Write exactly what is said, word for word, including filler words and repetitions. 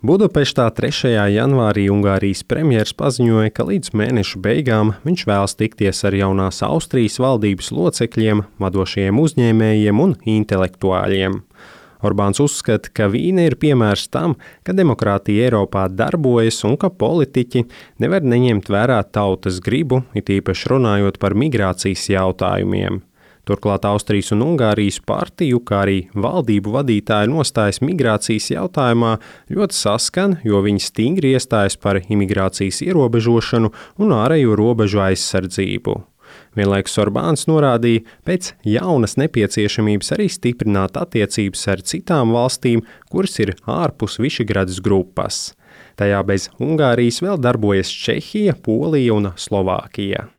Budapeštā trešajā janvārī Ungārijas premjers paziņoja, ka līdz mēneša beigām viņš vēlas tikties ar jaunās Austrijas valdības locekļiem, vadošajiem uzņēmējiem un intelektuāļiem. Orbāns uzskata, ka Vīne ir piemērs tam, ka demokrātija Eiropā darbojas un ka politiķi nevar neņemt vērā tautas gribu, it īpaši runājot par migrācijas jautājumiem. Turklāt Austrijas un Ungārijas partiju, kā arī valdību vadītāju nostājas migrācijas jautājumā ļoti saskan, jo viņi stingri iestājas par imigrācijas ierobežošanu un ārējo robežu aizsardzību. Vienlaikus Orbāns norādīja pēc jaunas nepieciešamības arī stiprināt attiecības ar citām valstīm, kuras ir ārpus Višegradas grupas. Tajā bez Ungārijas vēl darbojas Čehija, Polija un Slovākija.